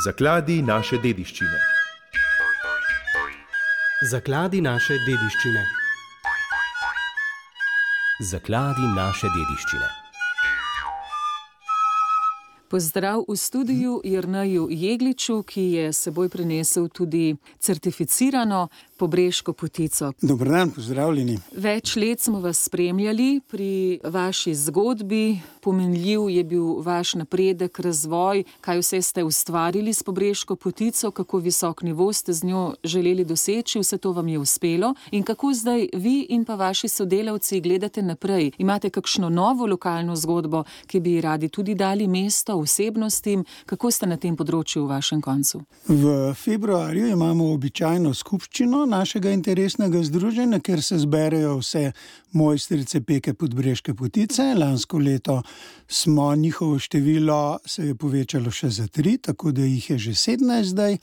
Zakladi naše dediščine. Zakladi naše dediščine. Zakladi naše dediščine. Pozdrav v studiu Jerneju Jegliču, ki je s seboj prinesel tudi certificirano pobreško potico. Dober dan, pozdravljeni. Več let smo vas spremljali pri vaši zgodbi. Pomenljiv je bil vaš napredek, razvoj, kaj vse ste ustvarili s pobreško potico, kako visok nivo ste z njo želeli doseči, vse to vam je uspelo. In kako zdaj vi in pa vaši sodelavci gledate naprej? Imate kakšno novo lokalno zgodbo, ki bi radi tudi dali mesto osebnostim? Kako ste na tem področju v vašem koncu? V februarju imamo običajno skupščino našega interesnega združenja, kjer se zberejo vse mojstrice peke podbreške potice. Lansko leto smo njihovo število se je povečalo še za 3, tako da jih je že 17 zdaj.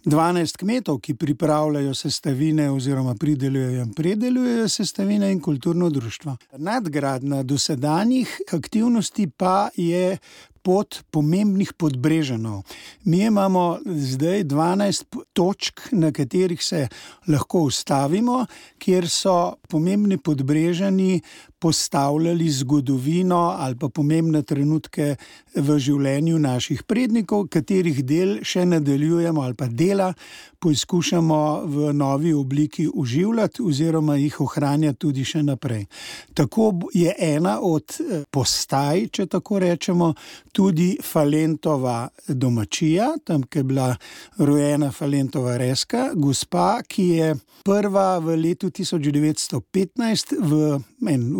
12 kmetov, ki pripravljajo sestavine oziroma pridelujejo in predelujejo sestavine, in kulturno društvo. Nadgradnja dosedanjih aktivnosti pa je pot pomembnih Podbrežanov. Mi imamo zdaj 12 točk, na katerih se lahko ustavimo, kjer so pomembni Podbrežani postavljali zgodovino ali pa pomembne trenutke v življenju naših prednikov, katerih del še nadaljujemo ali pa dela poizkušamo v novi obliki oživljati oziroma jih ohranjati tudi še naprej. Tako je ena od postaj, če tako rečemo, tudi Falentova domačija, tam, ki je bila rojena Falentova Reska, gospa, ki je prva v letu 1915 v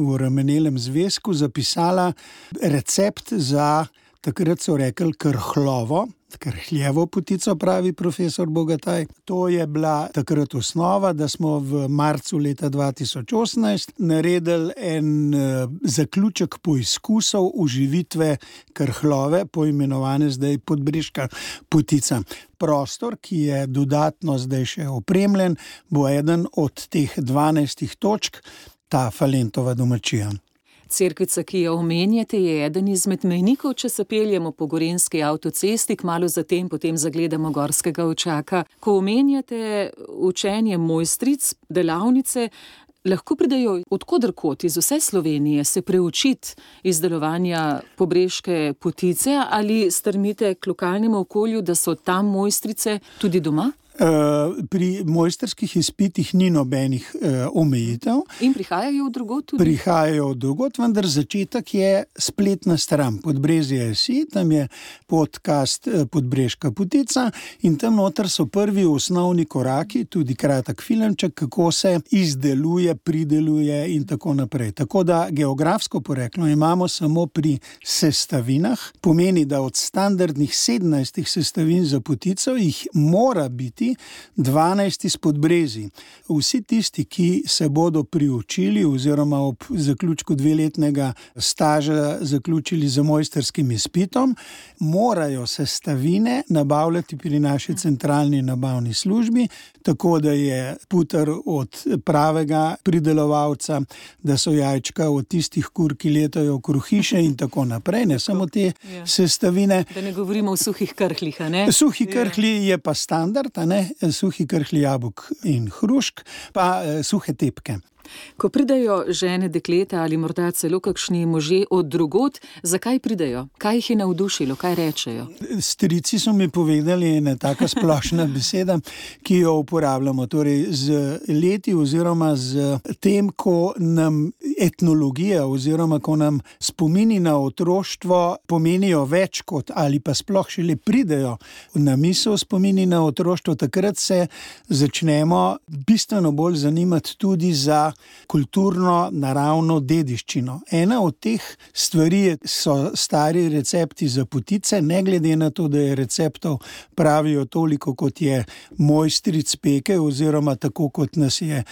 uremenelem zvezku zapisala recept za, takrat so rekli, krhljevo potico, pravi profesor Bogataj. To je bila takrat osnova, da smo v marcu leta 2018 naredili en zaključek poizkusov oživitve krhlove, poimenovane zdaj podbreška potica. Prostor, ki je dodatno zdaj še opremljen, bo eden od teh 12 točk, ta Falentova domačija. Cerkvica, ki jo omenjate, je eden izmed mejnikov, če se peljemo po gorenjski avtocesti, kmalu zatem potem zagledamo gorskega očaka. Ko omenjate učenje mojstric, delavnice, lahko pridejo od koderkot iz vse Slovenije se preučiti izdelovanja pobreške potice, ali strmite k lokalnemu okolju, da so tam mojstrice tudi doma? Pri mojstrskih izpitih ni nobenih omejitev. In prihajajo od drugod tudi? Prihajajo od drugod, vendar začetek je spletna stran Podbrezje.si, tam je podcast Podbreška potica in tam noter so prvi osnovni koraki, tudi kratek filmček, kako se izdeluje, prideluje in tako naprej. Tako da geografsko poreklo imamo samo pri sestavinah, pomeni, da od standardnih 17 sestavin za potico jih mora biti 12 iz Podbrezij. Vsi tisti, ki se bodo priučili oziroma ob zaključku 2-letnega staža zaključili z mojstrskim izpitom, morajo sestavine nabavljati pri naši centralni nabavni službi, tako da je puter od pravega pridelovalca, da so jajčka od tistih kur, ki letajo okrog hiše in tako naprej, ne samo te sestavine. Da ne govorimo o suhih krhljih, a ne? Suhi krhlji je pa standard, a ne? Suhi krhlji jabolk in hrušk, pa suhe tepke. Ko pridejo žene, dekleta ali morda celo kakšni možje od drugod, zakaj pridejo? Kaj jih je navdušilo? Kaj rečejo? Strici so mi povedali ena taka splošna beseda, ki jo uporabljamo. Torej z leti oziroma z tem, ko nam etnologija oziroma ko nam spomini na otroštvo pomenijo več kot ali pa sploh šele pridejo na misel spomini na otroštvo, takrat se začnemo bistveno bolj zanimati tudi za kulturno, naravno dediščino. Ena od teh stvari so stari recepti za potice, ne glede na to, da je receptov pravijo toliko, kot je mojstric peke, oziroma tako, kot nas je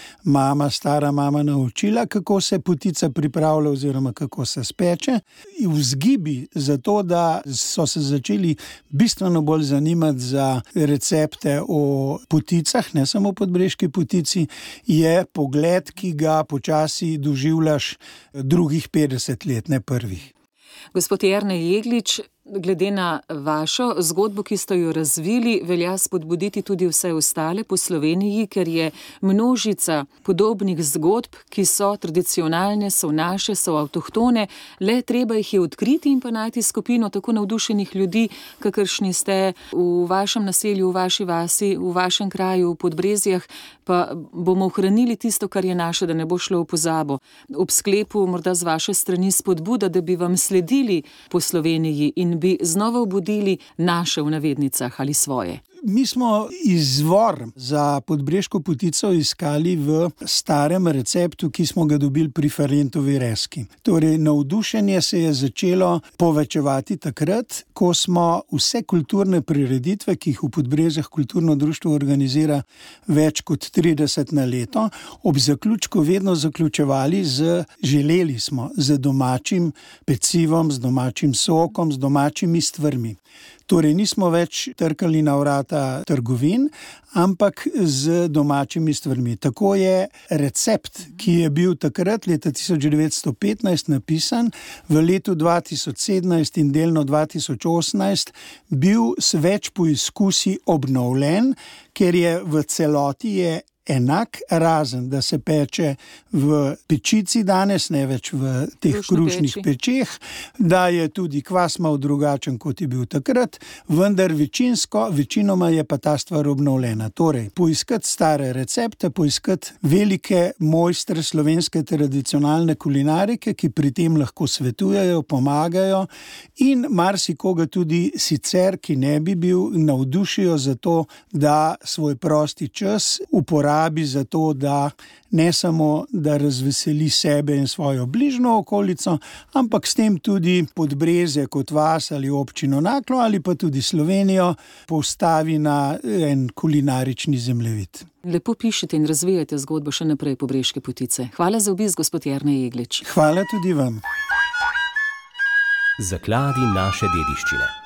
stara mama naučila, kako se potica pripravlja oziroma kako se speče. Vzgibi za to, da so se začeli bistveno bolj zanimati za recepte o poticah, ne samo podbreški potici, je pogled, ki ga počasi doživljaš drugih 50 let, ne prvih. Gospod Jernej Jeglič, glede na vašo zgodbo, ki ste jo razvili, velja spodbuditi tudi vse ostale po Sloveniji, ker je množica podobnih zgodb, ki so tradicionalne, so naše, so avtohtone, le treba jih je odkriti in pa najti skupino tako navdušenih ljudi, kakršni ste v vašem naselju, v vaši vasi, v vašem kraju, v Podbrezjah, pa bomo ohranili tisto, kar je naše, da ne bo šlo v pozabo. Ob sklepu morda z vaše strani spodbuda, da bi vam sledili po Sloveniji in bi znova obudili naše v navednicah ali svoje. Mi smo izvor za podbreško potico iskali v starem receptu, ki smo ga dobili pri Ferentovi Reski. Torej, navdušenje se je začelo povečevati takrat, ko smo vse kulturne prireditve, ki jih v Podbrezjah kulturno društvo organizira več kot 30 na leto, ob zaključku vedno zaključevali želeli smo z domačim pecivom, z domačim sokom, z domačimi stvarmi. Torej, nismo več trkali na vrata trgovin, ampak z domačimi stvarmi. Tako je recept, ki je bil takrat leta 1915 napisan, v letu 2017 in delno 2018 bil s več poizkusi obnovljen, ker je v celoti enak, razen da se peče v pečici danes, ne več v teh krušnih pečeh, da je tudi kvas malo drugačen, kot je bil takrat, vendar večinoma je pa ta stvar obnovljena. Torej, poiskati stare recepte, poiskati velike mojstre slovenske tradicionalne kulinarike, ki pri tem lahko svetujejo, pomagajo in marsikoga tudi sicer, ki ne bi bil, navdušijo za to, da svoj prosti čas uporabi za to, da ne samo, da razveseli sebe in svojo bližnjo okolico, ampak s tem tudi Podbrezje kot vas ali občino Naklo ali pa tudi Slovenijo postavi na en kulinarični zemljevid. Lepo pišete in razvijate zgodbo še naprej Pobreške potice. Hvala za obisk, gospod Jernej Jeglič. Hvala tudi vam. Zakladi naše dediščine.